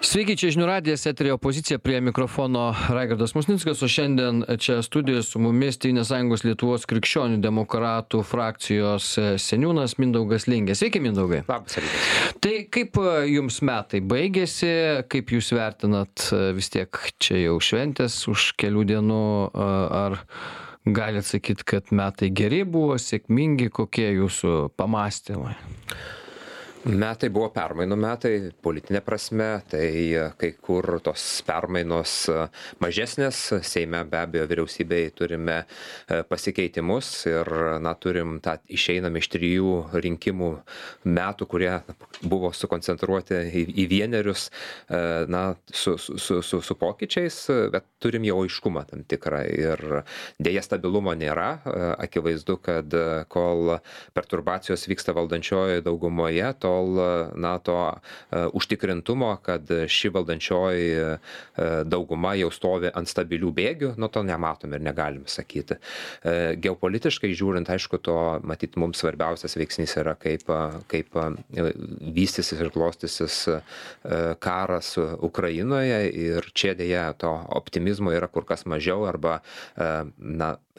Sveiki, čia žinių radijas, eterio opozicija, prie mikrofono Raigardas Musnickas, o šiandien čia studijoje su mumis Tėvynės sąjungos Lietuvos krikščionių demokratų frakcijos seniūnas Mindaugas Lingė. Sveiki, Mindaugai. Labas rytas. Tai kaip jums metai baigėsi, kaip jūs vertinat, vis tiek čia jau šventės už kelių dienų, ar galit sakyti, kad metai geri buvo, sėkmingi, kokie jūsų pamąstymai? Metai buvo permainų metai, politinė prasme, tai kai kur tos permainos mažesnės, Seime be abejo vyriausybėje turime pasikeitimus ir turim tą išeinam iš 3 rinkimų metų, kurie buvo sukoncentruoti į vienerius, su pokyčiais, bet turim jau aiškumą tam tikrą ir dėja stabilumo nėra, akivaizdu, kad kol perturbacijos vyksta valdančiojoje daugumoje, tol to užtikrintumo, kad ši valdančioji dauguma jau stovi ant stabilių bėgių, to nematom ir negalim sakyti. Geopolitiškai žiūrint, aišku, to matyt mums svarbiausias veiksnys yra, kaip vystysis ir klostysis karas Ukrainoje ir čia dėja to optimizmo yra kur kas mažiau arba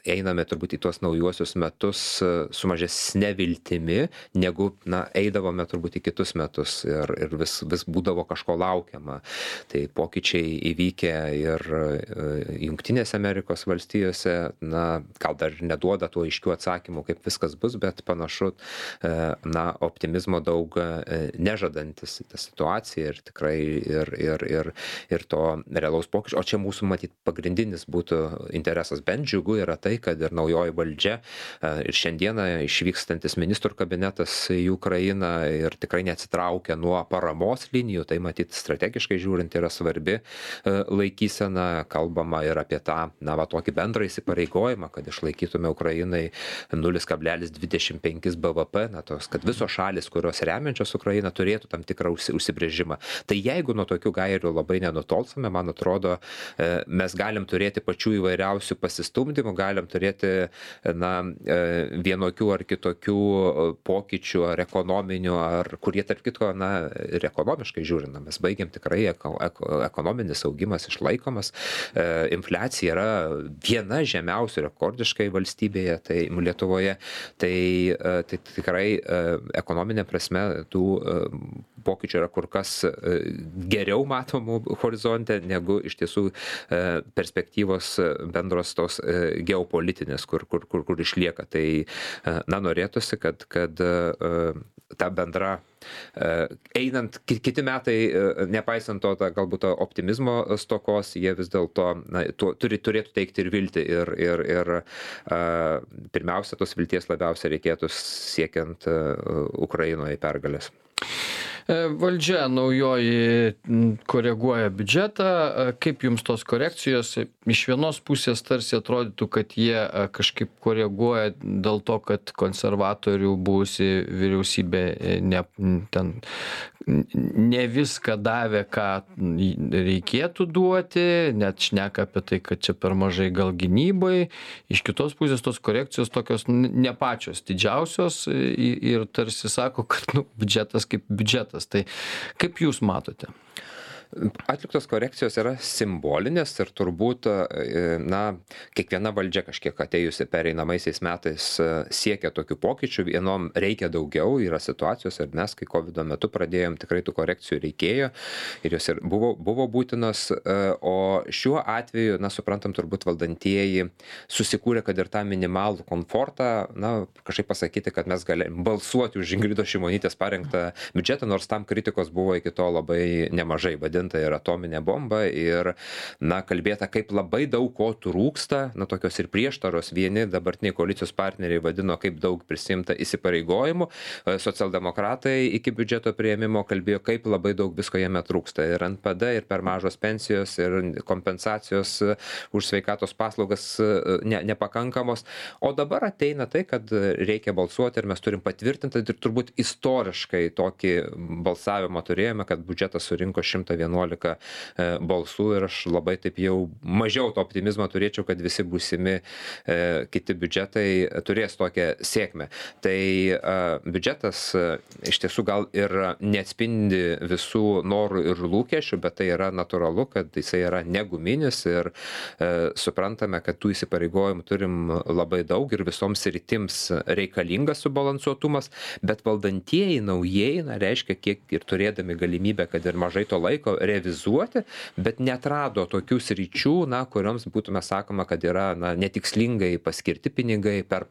einame turbūt į tuos naujuosius metus su mažesne viltimi, negu eidavome turbūt į kitus metus ir vis būdavo kažko laukiama. Tai pokyčiai įvykę ir Jungtinėse Amerikos valstijose, gal dar neduoda tų aiškių atsakymų, kaip viskas bus, bet panašu, optimizmo daug nežadantis ta situacija ir tikrai ir to realaus pokyčio. O čia mūsų matyt pagrindinis būtų interesas, bent džiugu yra tai, kad ir naujoji valdžia ir šiandieną išvykstantis ministrų kabinetas į Ukrainą ir tikrai neatsitraukia nuo paramos linijų, tai matyt strategiškai žiūrint yra svarbi laikysena, kalbama ir apie tą, tokį bendrą įsipareigojimą, kad išlaikytume Ukrainai 0,25 BVP, kad visos šalis, kurios remiančios Ukrainą, turėtų tam tikrą užsibrėžimą. Tai jeigu nuo tokių gairių labai nenutolsime, man atrodo, mes galim turėti pačių įvairiausių pasistumdymų, galim turėti vienokių ar kitokių pokyčių ar ekonominių, ar kurie tarp kitko, ir ekonomiškai žiūrint, mes baigiam tikrai ekonominis augimas išlaikomas, infliacija yra viena žemiausių rekordiškai valstybėje, tai Lietuvoje, tai tikrai ekonominė prasme tų pokyčių yra kur kas geriau matomų horizonte, negu iš tiesų perspektyvos bendros tos geopolitinės, kur išlieka. Tai norėtųsi, kad ta bendra einant kiti metai, nepaisant to galbūt to optimizmo stokos, jie vis dėlto turėtų teikti ir viltį ir pirmiausia, tos vilties labiausiai reikėtų siekiant Ukrainoje pergalės. Valdžia naujoji koreguoja biudžetą. Kaip jums tos korekcijos? Iš vienos pusės tarsi atrodytų, kad jie kažkaip koreguoja dėl to, kad konservatorių buvusi vyriausybė ne viską davė, ką reikėtų duoti, net šneka apie tai, kad čia per mažai gal gynybai. Iš kitos pusės tos korekcijos tokios ne pačios didžiausios ir tarsi sako, kad biudžetas kaip biudžetas. Tai kaip jūs matote? Atliktos korekcijos yra simbolinės ir turbūt, kiekviena valdžia kažkiek atėjusi pereinamaisiais metais siekia tokių pokyčių, vienom reikia daugiau, yra situacijos ir mes, kai COVID metu pradėjom, tikrai tų korekcijų reikėjo ir jos ir buvo būtinos, o šiuo atveju, suprantam, turbūt valdantieji susikūrė, kad ir tą minimalų komfortą, kažkaip pasakyti, kad mes galim balsuoti už Ingridos Šimonytės parengtą biudžetą, nors tam kritikos buvo iki to labai nemažai, ir atominė bomba ir, kalbėta, kaip labai daug ko trūksta, tokios ir prieštaros. Vieni dabartiniai koalicijos partneriai vadino, kaip daug prisimta įsipareigojimų, socialdemokratai iki biudžeto priėmimo kalbėjo, kaip labai daug visko jame trūksta. Ir NPD, ir per mažos pensijos, ir kompensacijos už sveikatos paslaugas nepakankamos. O dabar ateina tai, kad reikia balsuoti ir mes turim patvirtinti ir turbūt istoriškai tokį balsavimą turėjome, kad biudžetas surinko 111 11 balsų ir aš labai taip jau mažiau to optimizmo turėčiau, kad visi būsimi kiti biudžetai turės tokią sėkmę. Tai biudžetas iš tiesų gal ir neatspindi visų norų ir lūkesčių, bet tai yra natūralu, kad jisai yra neguminis ir suprantame, kad tų įsipareigojimų turim labai daug ir visoms sritims reikalingas subalansuotumas, bet valdantieji naujieji, reiškia, kiek ir turėdami galimybę, kad ir mažai to laiko revizuoti, bet neatrado tokių sričių, kurioms būtume sakoma, kad yra netikslingai paskirti pinigai, per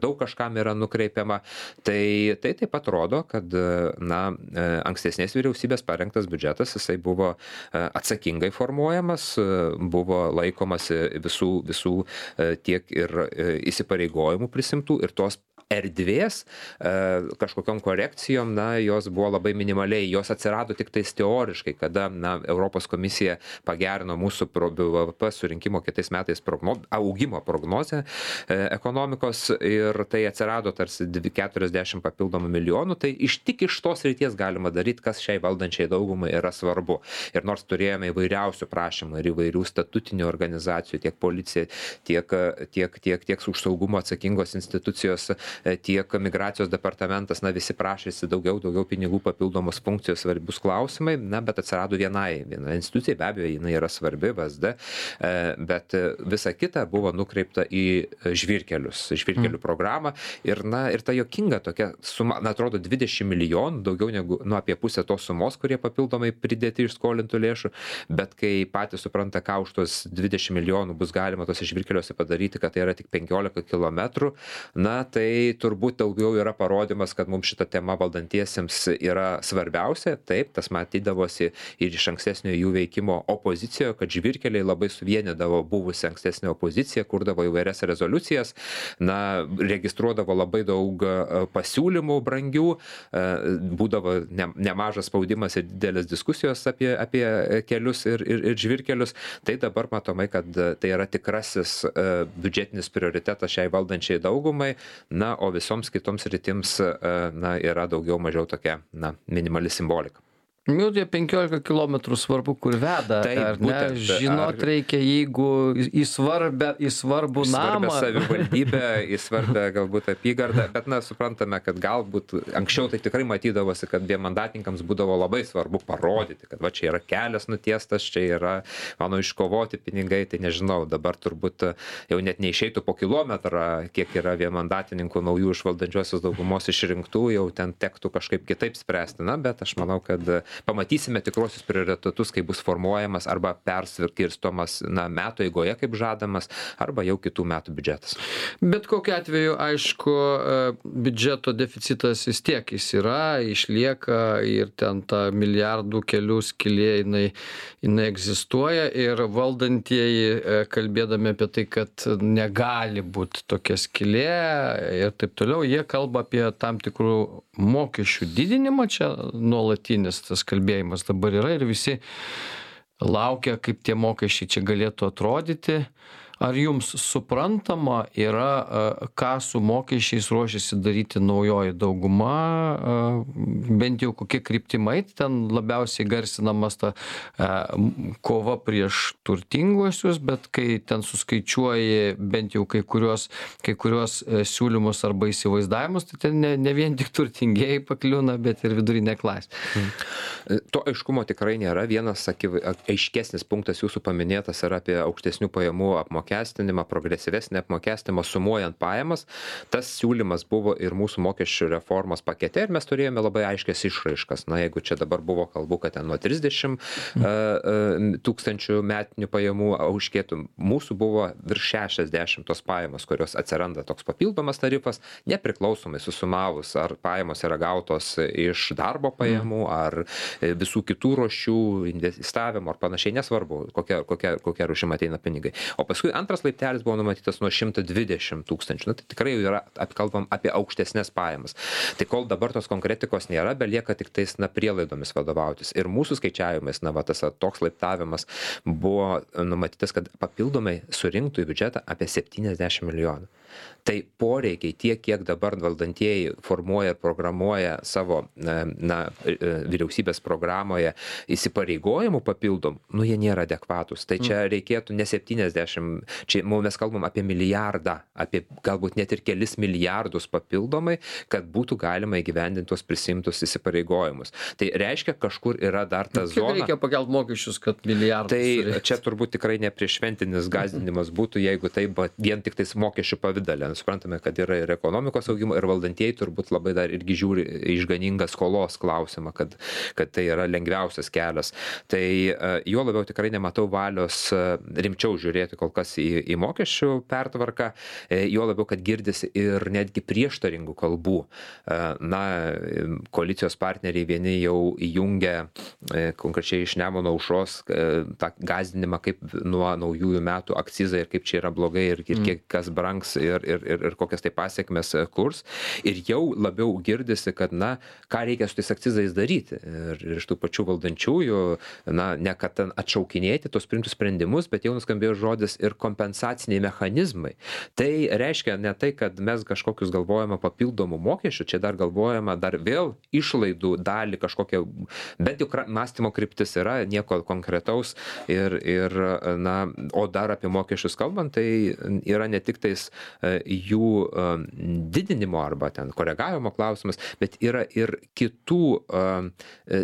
daug kažkam yra nukreipiama. Tai taip pat rodo, kad ankstesnės vyriausybės parengtas biudžetas, jisai buvo atsakingai formuojamas, buvo laikomasi visų tiek ir įsipareigojimų prisimtų ir tos erdvės kažkokiom korekcijom, jos buvo labai minimaliai, jos atsirado tik tais teoriškai, kada Europos komisija pagerino mūsų BVP surinkimo kitais metais augimo prognozę ekonomikos ir tai atsirado tarsi 40 papildomų milijonų, tai tik iš tos ryties galima daryti, kas šiai valdančiai daugumai yra svarbu. Ir nors turėjome įvairiausių prašymų ir įvairių statutinių organizacijų, tiek policija, tiek už saugumą atsakingos institucijos, tiek migracijos departamentas, visi prašėsi daugiau pinigų, papildomos funkcijos, svarbius klausimai, bet atsirado viena institucija, be abejo, jinai yra svarbi, VSD, bet visa kita buvo nukreipta į žvyrkelių programą ir ta juokinga tokia suma, atrodo 20 milijonų, daugiau negu apie pusę tos sumos, kurie papildomai pridėti iš skolintų lėšų, bet kai patys supranta, ką už tos 20 milijonų bus galima tose žvyrkeliuose padaryti, kad tai yra tik 15 kilometrų, tai turbūt daugiau yra parodymas, kad mums šita tema valdantiesiems yra svarbiausia. Taip, tas matydavosi ir iš ankstesnio jų veikimo opozicijoje, kad žvyrkeliai labai suvienydavo buvusią ankstesnę opoziciją, kurdavo įvairias rezoliucijas, registruodavo labai daug pasiūlymų brangių, būdavo nemažas spaudimas ir didelės diskusijos apie kelius ir žvyrkelius. Tai dabar matomai, kad tai yra tikrasis biudžetinis prioritetas šiai valdančiai daugumai, o visoms kitoms rytims yra daugiau mažiau tokia minimali simbolika. Tie 15 kilometrų svarbu, kur veda, ar ne? Žinot, reikia, jeigu į svarbų namą. Į savivaldybę, į svarbę galbūt apygardą, bet suprantame, kad galbūt anksčiau tai tikrai matydavosi, kad vienmandatininkams būdavo labai svarbu parodyti, kad čia yra kelias nutiestas, čia yra mano iškovoti pinigai, tai nežinau, dabar turbūt jau net neišeitų po kilometrą, kiek yra vienmandatininkų naujų iš valdančiosios daugumos išrinktų, jau ten tektų kažkaip kitaip spręsti, bet aš manau, kad pamatysime tikruosius prioritetus, kai bus formuojamas arba perskirstomas metų eigoje, kaip žadamas, arba jau kitų metų biudžetas. Bet kokiu atveju, aišku, biudžeto deficitas vis tiek jis yra, išlieka ir ten ta milijardų kelių skylė, jinai egzistuoja ir valdantieji, kalbėdami apie tai, kad negali būti tokia skylė ir taip toliau, jie kalba apie tam tikrų mokesčių didinimą, čia nuolatinis tas kalbėjimas dabar yra ir visi laukia, kaip tie mokesčiai čia galėtų atrodyti. Ar jums suprantama yra, ką su mokesčiais ruošiasi daryti naujoji dauguma, bent jau kokie kryptimai, ten labiausiai garsinamas ta kova prieš turtinguosius, bet kai ten suskaičiuoji bent jau kai kuriuos siūlymus arba įsivaizdavimus, tai ten ne vien tik turtingieji pakliūna, bet ir vidurinė klasė. To aiškumo tikrai nėra. Vienas aiškesnis punktas jūsų paminėtas yra apie aukštesnių pajamų apmokestinimą, progresyvesnį apmokestinimą sumuojant pajamas. Tas siūlymas buvo ir mūsų mokesčių reformos pakete ir mes turėjome labai aiškias išraiškas. Jeigu čia dabar buvo kalbų, kad ten nuo 30 tūkstančių metinių pajamų auškėtų, mūsų buvo virš 60 tos pajamos, kurios atsiranda toks papildomas tarifas, nepriklausomai susumavus, ar pajamos yra gautos iš darbo pajamų, ar visų kitų ruošių, investavimo ar panašiai, nesvarbu, kokia rūšim ateina pinigai. O paskui antras laiptelis buvo numatytas nuo 120 tūkstančių. Na, tai tikrai jau yra, kalbam apie aukštesnės pajamas. Tai kol dabar tos konkretikos nėra, belieka tik tais, prielaidomis vadovautis. Ir mūsų skaičiavimais, tas toks laiptavimas buvo numatytas, kad papildomai surinktų į biudžetą apie 70 milijonų. Tai poreikiai tiek, kiek dabar valdantieji formuoja ir programuoja savo vyriausybės programoje įsipareigojimų papildom, jie nėra adekvatus. Tai čia reikėtų ne 70, čia mes kalbam apie milijardą, apie galbūt net ir kelis milijardus papildomai, kad būtų galima įgyvendinti tuos prisimtus įsipareigojimus. Tai reiškia, kažkur yra dar ta zona. Reikia pakelti mokesčius, kad milijardus. Tai čia turbūt tikrai neprieššventinis gąsdinimas būtų, jeigu tai vien tik tais mokesčių pavidale. Suprantame, kad yra ir ekonomikos augimo, ir valdantieji turbūt labai dar irgi žiūri išganingą skolos klausimą, kad tai yra lengviausias kelias. Tai juo labiau tikrai nematau valios rimčiau žiūrėti kol kas į mokesčių pertvarką, juo labiau, kad girdisi ir netgi prieštaringų kalbų. Koalicijos partneriai vieni jau įjungia konkrečiai iš Nemuno aušros tą gąsdinimą, kaip nuo naujųjų metų akcizai ir kaip čia yra blogai ir kiek kas brangs ir kokias tai pasiekmes kurs. Ir jau labiau girdisi, kad, ką reikia su tais akcizais daryti. Ir iš tų pačių valdančiųjų, ne kad ten atšaukinėti tos priimtus sprendimus, bet jau nuskambėjo žodis ir kompensaciniai mechanizmai. Tai reiškia ne tai, kad mes kažkokius galvojame papildomų mokesčių, čia dar galvojama dar vėl išlaidų dalį kažkokią, bent jau mąstymo kryptis yra, nieko konkretaus o dar apie mokesčius kalbant, tai yra ne tik tais jų didinimo arba ten koregavimo klausimas, bet yra ir kitų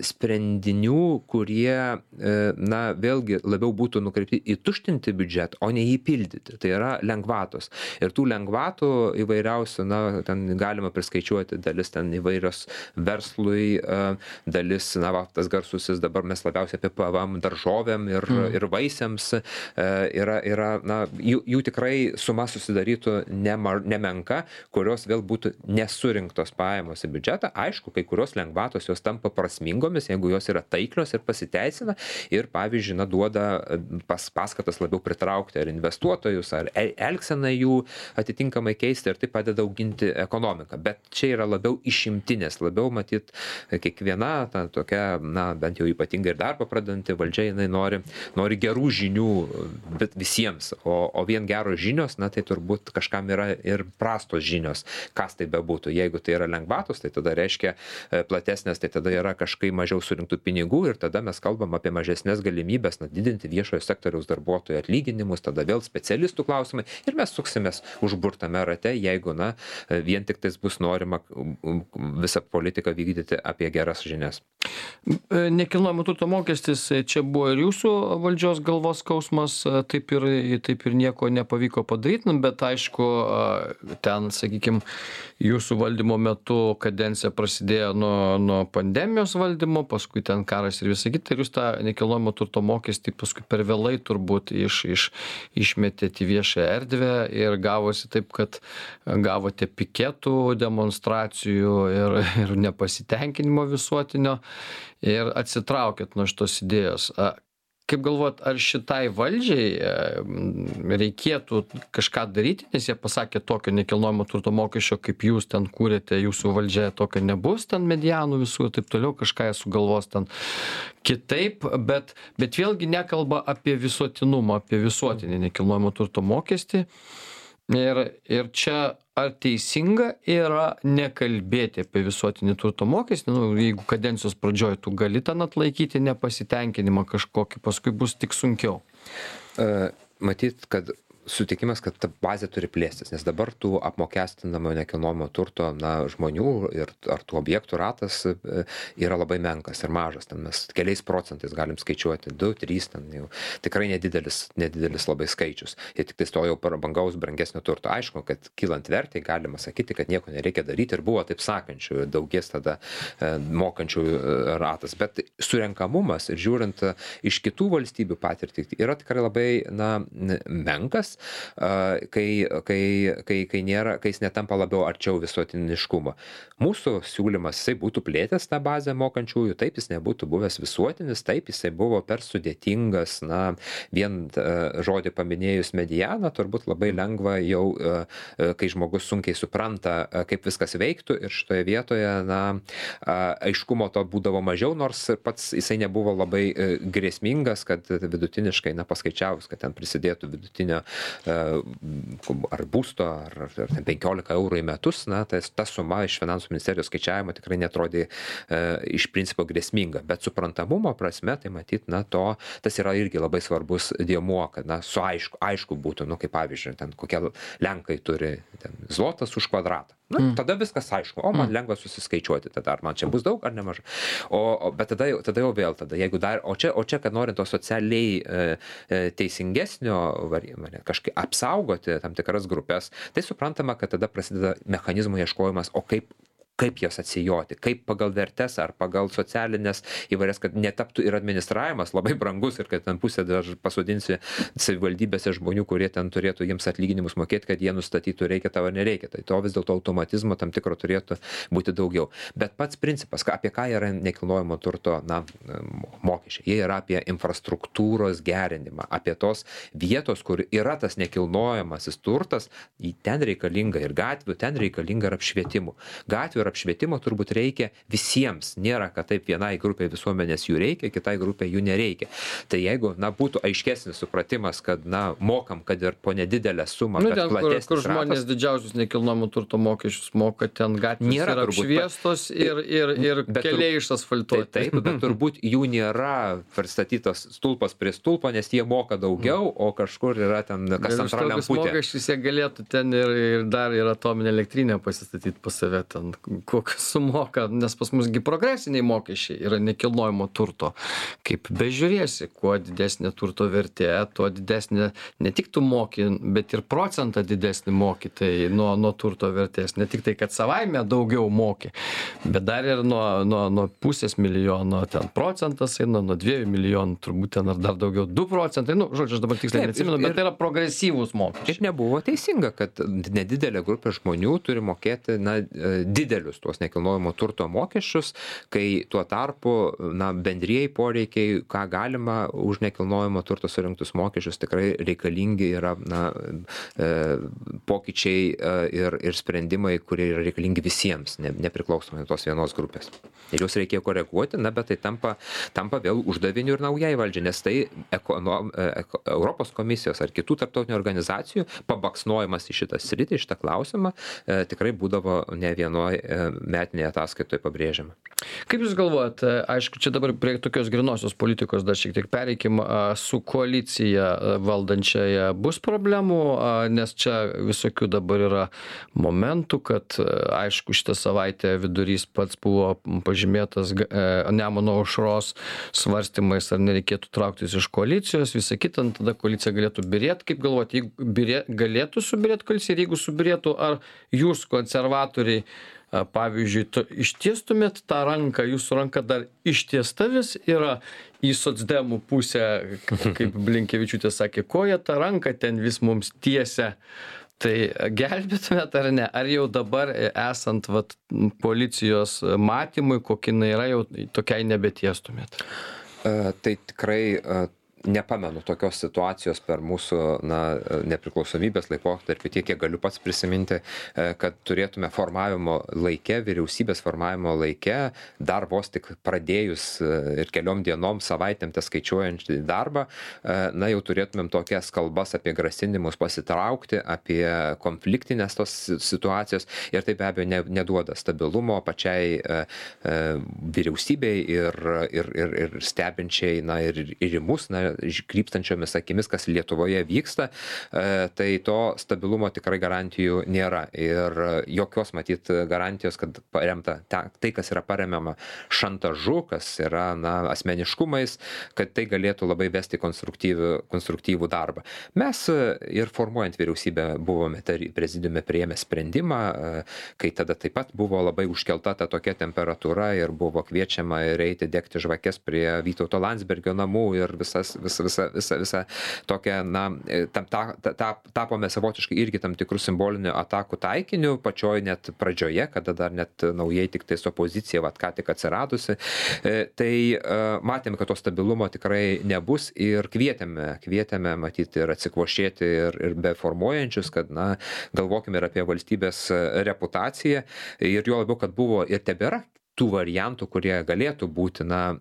sprendinių, kurie, vėlgi labiau būtų nukreipti į tuštinti biudžetą, o ne jį pildyti. Tai yra lengvatos. Ir tų lengvatų įvairiausių, ten galima priskaičiuoti dalis ten įvairios verslui, dalis, tas garsusis, dabar mes labiausiai apie PVM daržovėm ir vaisiams, jų tikrai suma susidarytų nemenka, kurios vėl būtų nesurinktos pajamos į biudžetą. Aišku, kai kurios lengvatos jos tampa prasmingomis, jeigu jos yra taiklios ir pasiteisina ir, pavyzdžiui, duoda paskatas labiau pritraukti ar investuotojus, ar elgseną jų atitinkamai keisti ir tai padeda auginti ekonomiką. Bet čia yra labiau išimtinės, labiau matyt kiekviena tokia, bent jau ypatingai ir darbą pradedanti valdžia, jinai nori gerų žinių, bet visiems, o vien geros žinios, tai turbūt kažkam yra ir prastos žinios, kas tai bebūtų. Jeigu tai yra lengvatos, tai tada reiškia platesnės, tai tada yra kažkai mažiau surinktų pinigų ir tada mes kalbam apie mažesnės galimybės didinti viešojo sektoriaus darbuotojų atlyginimus, tada vėl specialistų klausimai ir mes suksimės užburtame rate, jeigu vien tik tais bus norima visą politiką vykdyti apie geras žinias. Nekilnojamo turto mokestis čia buvo ir jūsų valdžios galvos skausmas, taip ir nieko nepavyko padaryti, bet aišku, ten, sakykime, jūsų valdymo metu kadencija prasidėjo nuo pandemijos valdymo, paskui ten karas ir visą kitą, ir jūs tą nekilnojamo turto mokestį paskui per vėlai turbūt išmetėte į viešą erdvę ir gavosi taip, kad gavote piketų, demonstracijų ir nepasitenkinimo visuotinio ir atsitraukėt nuo šitos idėjos. Kaip galvojat, ar šitai valdžiai reikėtų kažką daryti, nes jie pasakė tokio nekilnojamo turto mokesčio, kaip jūs ten kūrėte, jūsų valdžia tokio nebus, ten medianų visų ir taip toliau, kažką jie sugalvos ten kitaip, bet vėlgi nekalba apie visuotinumą, apie visuotinį nekilnojamo turto mokestį. Ir čia ar teisinga yra nekalbėti apie visuotinį turto mokestį, jeigu kadencijos pradžioj tu gali ten atlaikyti nepasitenkinimą kažkokį, paskui bus tik sunkiau? Matyt, kad sutikimas, kad ta bazė turi plėstis, nes dabar tų apmokestinamo nekilnojamo turto žmonių ar tų objektų ratas yra labai menkas ir mažas. Ten mes keliais procentais galim skaičiuoti 2, 3, ten jau tikrai nedidelis labai skaičius. Ir tik tai to jau prabangaus brangesnio turto. Aišku, kad kylant vertei galima sakyti, kad nieko nereikia daryti ir buvo taip sakančių, daugės tada mokančių ratas. Bet surenkamumas ir žiūrint iš kitų valstybių patirtį yra tikrai labai menkas. kai jis netampa labiau arčiau visuotiniškumo. Mūsų siūlymas, jisai būtų plėtęs tą bazę mokančiųjų, taip jis nebūtų buvęs visuotinis, taip jisai buvo per sudėtingas, vien žodį paminėjus medianą, turbūt labai lengva jau, kai žmogus sunkiai supranta, kaip viskas veiktų ir šitoje vietoje, aiškumo to būdavo mažiau, nors pats jisai nebuvo labai grėsmingas, kad vidutiniškai, paskaičiavus, kad ten prisidėtų vidutinio ar būsto, ar 15 eurų į metus, ta suma iš finansų ministerijos skaičiavimo tikrai netrodė iš principo grėsminga, bet suprantamumo prasme, tai matyt, tas yra irgi labai svarbus dėmuo, kad aišku būtų, kaip pavyzdžiui, ten kokie Lenkai turi zlotas už kvadratą. Tada viskas aišku, man lengva susiskaičiuoti, tada ar man čia bus daug ar nemažai. Bet tada jau vėl, jeigu dar, o čia, kad norint to socialiai teisingesnio variantą, kažkaip apsaugoti tam tikras grupės, tai suprantama, kad tada prasideda mechanizmų ieškojimas, o kaip jas atsijoti, kaip pagal vertes ar pagal socialinės įvairias, kad netaptų ir administravimas labai brangus ir kad ten pusę dar pasodinsi savivaldybėse žmonių, kurie ten turėtų jiems atlyginimus mokėti, kad jie nustatytų reikia tavo ar nereikia. Tai to vis dėlto automatizmo tam tikro turėtų būti daugiau. Bet pats principas, apie ką yra nekilnojamo turto mokesčiai, jie yra apie infrastruktūros gerinimą, apie tos vietos, kur yra tas nekilnojamasis turtas, ten reikalinga ir gatvių, ten reikalinga ir apšvietimų. Gatvių ir apšvietimo turbūt reikia visiems. Nėra, kad taip vienai grupiai visuomenės jų reikia, kitai grupiai jų nereikia. Tai jeigu, būtų aiškesnis supratimas, kad, mokam, kad ir po nedidelę sumą, bet platesnis kur žmonės didžiausius nekilnojamo turto mokesčius moka, ten gatvės yra apšviestos ir keliai išasfaltuoti. Taip, bet turbūt jų nėra pristatytas stulpas prie stulpo, nes jie moka daugiau, o kažkur yra ten kas antra lemputė. Mokesčius jie galėtų ten ir dar ir atominę elektrinę pasistatyti pas save ten, kokią sumoka, nes pas musgi progresiniai mokesčiai yra nekilnojamo turto. Kaip bežiūrėsi, kuo didesnė turto vertė, tuo didesnė, ne tik tu moki, bet ir procentą didesnį moki tai nuo turto vertės. Ne tik tai, kad savaime daugiau moki, bet dar ir nuo pusės milijono ten procentas eina, nuo 2 milijonų turbūt ten ar dar daugiau 2 procentai. Žodžiu, aš dabar tiksliai neatsimenu, bet tai yra progresyvūs mokesčiai. Ir nebuvo teisinga, kad nedidelė grupė žmonių turi mokėti didelius tuos nekilnojamo turto mokesčius, kai tuo tarpu bendrieji poreikiai, ką galima už nekilnojamo turto surinktus mokesčius, tikrai reikalingi yra pokyčiai ir sprendimai, kurie yra reikalingi visiems, nepriklausomai nuo tos vienos grupės. Ir juos reikėjo koreguoti, bet tai tampa vėl uždaviniu ir naujai valdžiai, nes tai Europos komisijos ar kitų tarptautinių organizacijų pabaksnojimas į šitą sritį, į šitą klausimą tikrai būdavo ne vienoje metinėje ataskaitoje pabrėžiama. Kaip Jūs galvojat, aišku, čia dabar prie tokios grinosios politikos dar šiek tiek pereikim, su koalicija valdančiaja bus problemų, nes čia visokių dabar yra momentų, kad aišku, šitą savaitę vidurys pats buvo pažymėtas Nemuno aušros svarstymais, ar nereikėtų trauktis iš koalicijos, visą kitą, tada koalicija galėtų byrėti. Kaip galvojat, jeigu galėtų subyrėti koalicija ir jeigu subyrėtų, ar jūs konservatoriai pavyzdžiui, ištiestumėt tą ranką, jūsų ranka dar ištiesta vis yra į socdemų pusę, kaip Blinkevičiūtė sakė, koja tą ranką ten vis mums tiesia. Tai gelbėtumėt ar ne? Ar jau dabar esant policijos matymui, kokia jinai yra, jau tokiai nebetiestumėt? Tai tikrai nepamenu tokios situacijos per mūsų nepriklausomybės laikotarpį, tiek kiek galiu pats prisiminti, kad turėtume formavimo laike, vyriausybės formavimo laike, dar vos tik pradėjus ir keliom dienom, savaitėm skaičiuojant darbą, jau turėtumėm tokias kalbas apie grasinimus pasitraukti, apie konfliktinės tos situacijos ir tai be abejo neduoda stabilumo pačiai vyriausybei ir stebinčiai ir į mus, krypstančiomis akimis, kas Lietuvoje vyksta, tai to stabilumo tikrai garantijų nėra. Ir jokios matyt garantijos, kad paremta tai, kas yra paremiama šantažu, kas yra asmeniškumais, kad tai galėtų labai vesti konstruktyvų darbą. Mes ir formuojant vyriausybę buvome prezidiume priėmę sprendimą, kai tada taip pat buvo labai užkelta ta tokia temperatūra ir buvo kviečiama ir eiti degti žvakes prie Vytauto Landsbergio namų ir visas visa tokia, na, tapome savotiškai irgi tam tikrų simbolinių atakų taikiniu pačioj net pradžioje, kada dar net naujai tik tais opozicija, ką tik atsiradusi. Tai matėme, kad to stabilumo tikrai nebus ir kvietėme matyti ir atsikvošėti ir be formuojančius, kad, na, galvokime ir apie valstybės reputaciją ir juo labiau, kad buvo ir tebėra tų variantų, kurie galėtų būti, na,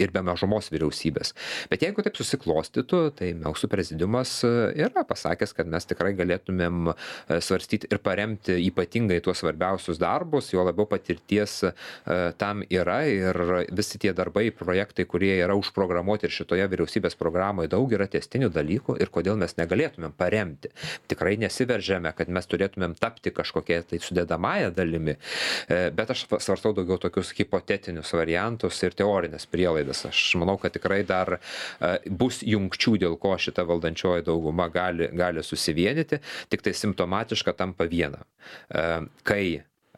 ir be mažumos vyriausybės. Bet jeigu taip susiklostytų, tai mūsų prezidiumas yra pasakęs, kad mes tikrai galėtumėm svarstyti ir paremti ypatingai tuos svarbiausius darbus, jo labiau patirties tam yra ir visi tie darbai, projektai, kurie yra užprogramuoti ir šitoje vyriausybės programoje, daug yra tęstinių dalykų ir kodėl mes negalėtumėm paremti. Tikrai nesiveržėme, kad mes turėtumėm tapti kažkokie tai sudedamąją dalimi, bet aš svarstau daugiau tokius hipotetinius variantus ir teorinės prielaidas. Aš manau, kad tikrai dar bus jungčių, dėl ko šita valdančioji dauguma gali susivienyti, tik tai simptomatiška tampa viena. Kai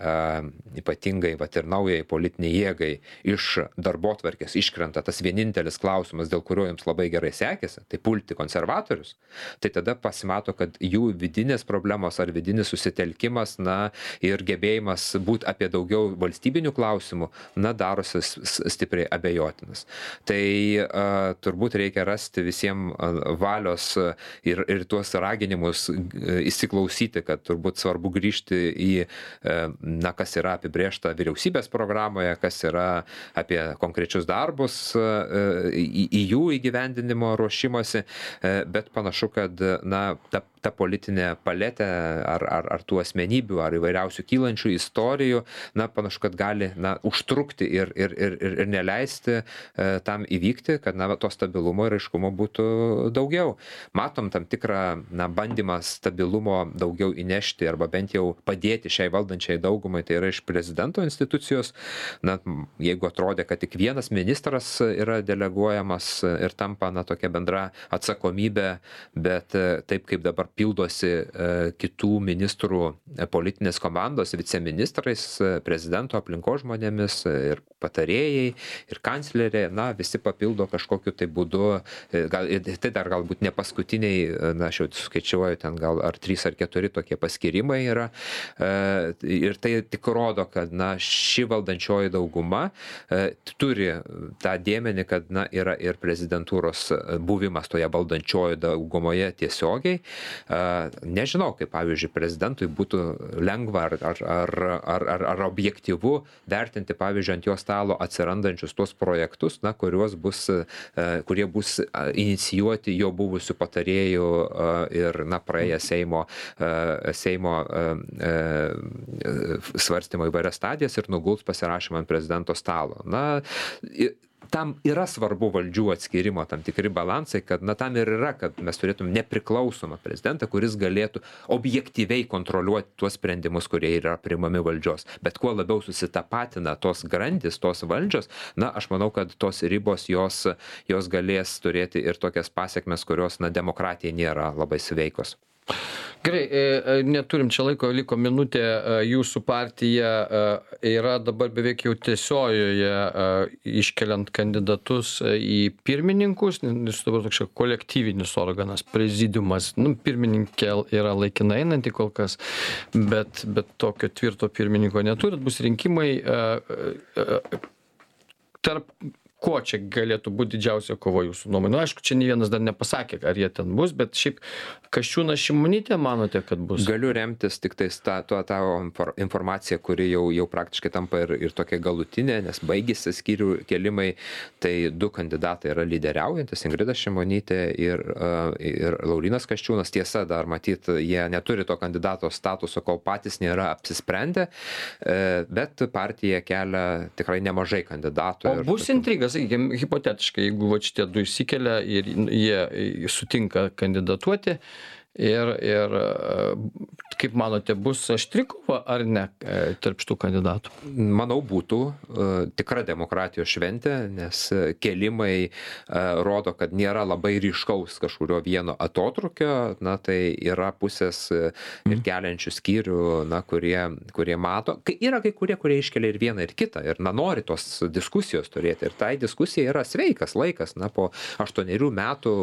ypatingai ir naujai politiniai jėgai iš darbotvarkės iškrenta tas vienintelis klausimas, dėl kurio jums labai gerai sekėsi, tai pulti konservatorius, tai tada pasimato, kad jų vidinės problemos ar vidinis susitelkimas, na, ir gebėjimas būti apie daugiau valstybinių klausimų, na, darosi stipriai abejotinas. Tai turbūt reikia rasti visiems valios ir tuos raginimus įsiklausyti, kad turbūt svarbu grįžti į na, kas yra apibrėžta vyriausybės programoje, kas yra apie konkrečius darbus, į jų įgyvendinimo ruošimasi, bet panašu, kad, na, ta politinė paletė ar tų asmenybių, ar įvairiausių kylančių istorijų, na, panašu, kad gali, na, užtrukti ir neleisti tam įvykti, kad, na, to stabilumo ir aiškumo būtų daugiau. Matom tam tikrą, na, bandymą stabilumo daugiau įnešti arba bent jau padėti šiai valdančiai daugumai, tai yra iš prezidento institucijos. Na, jeigu atrodė, kad tik vienas ministras yra deleguojamas ir tampa, na, tokia bendra atsakomybė, bet taip kaip dabar pildosi kitų ministrų politinės komandos viceministrais, prezidento aplinkos žmonėmis ir patarėjai, ir kanclerė, na, visi papildo kažkokiu tai būdu, tai dar galbūt ne paskutiniai, na, aš jau skaičiuoju, ten gal ar 3 ar 4 tokie paskirimai yra. Ir tai tik rodo, kad, na, ši valdančioji dauguma turi tą dėmenį, kad, na, yra ir prezidentūros buvimas toje valdančioje daugumoje tiesiogiai. Nežinau, kaip, pavyzdžiui, prezidentui būtų lengva ar objektyvu vertinti, pavyzdžiui, ant jo stalo atsirandančius tuos projektus, na, kurie bus inicijuoti jo buvusių patarėjų ir, na, praėję Seimo svarstymo įvairias stadijas ir nuguls pasirašymą ant prezidento stalo. Na, tam yra svarbu valdžių atskirimo tam tikri balansai, kad, na, tam ir yra, kad mes turėtum nepriklausomą prezidentą, kuris galėtų objektyviai kontroliuoti tuos sprendimus, kurie yra priimami valdžios. Bet kuo labiau susitapatina tos grandys, tos valdžios, na, aš manau, kad tos ribos jos galės turėti ir tokias pasekmes, kurios, na, demokratijai nėra labai sveikos. Gerai, neturim čia laiko, liko minutė, jūsų partija yra dabar beveik jau tiesiojoje iškeliant kandidatus į pirmininkus, nes dabar toks kolektyvinis organas, prezidiumas, nu, pirmininkė yra laikinai einanti kol kas, bet tokio tvirto pirmininko neturit, bus rinkimai, tarp ko čia galėtų būti didžiausia kova jūsų nuomonė? Nu, aišku, čia nei vienas dar nepasakė, ar jie ten bus, bet šiaip Kasčiūnas, Šimonytė manote, kad bus? Galiu remtis tik tais tą informaciją, kuri jau praktiškai tampa ir tokia galutinė, nes baigėsi skyrių kelimai, tai 2 kandidatai yra lyderiaujantis, Ingrida Šimonytė ir Laurynas Kasčiūnas. Tiesa, dar matyt, jie neturi to kandidato statuso, kol patys nėra apsisprendę, bet partija kelia tikrai nemažai kandidatų. O bus intriga? Sakykime, hipotetiškai, jeigu šitie 2 išsikelia ir jie sutinka kandidatuoti, ir kaip manote, bus aštri kova ar ne tarp šitų kandidatų? Manau, būtų tikra demokratijos šventė, nes kelimai rodo, kad nėra labai ryškaus kažkurio vieno atotrukio, na tai yra pusės ir keliančių skyrių, na, kurie mato. Yra kai kurie iškelia ir vieną, ir kitą, ir na, nori tos diskusijos turėti. Ir tai diskusija yra sveikas laikas, na, po 8 metų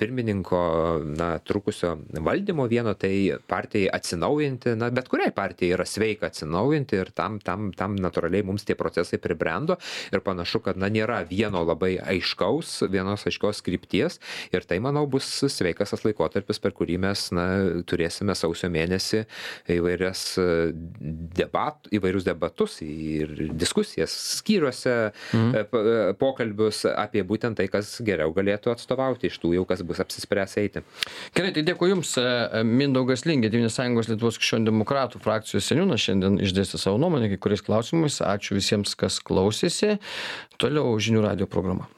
pirmininko, na, trukusio valdymo vieno, tai partijai atsinaujinti, na, bet kuriai partijai yra sveika atsinaujinti ir tam natūraliai mums tie procesai pribrendo ir panašu, kad, na, nėra vienos aiškios krypties ir tai, manau, bus sveikas tas laikotarpis, per kurį mes, na, turėsime sausio mėnesį įvairius debatus ir diskusijas skyriuose, pokalbius apie būtent tai, kas geriau galėtų atstovauti iš tų jau, kas bus apsispręs eiti. Gerai, tai dėkui Jums. Mindaugas Lingė, Tėvynės sąjungos Lietuvos krikščionių demokratų frakcijos seniūnas, šiandien išdėstė savo nuomonę kai kuriais klausimais. Ačiū visiems, kas klausėsi. Toliau žinių radijo programa.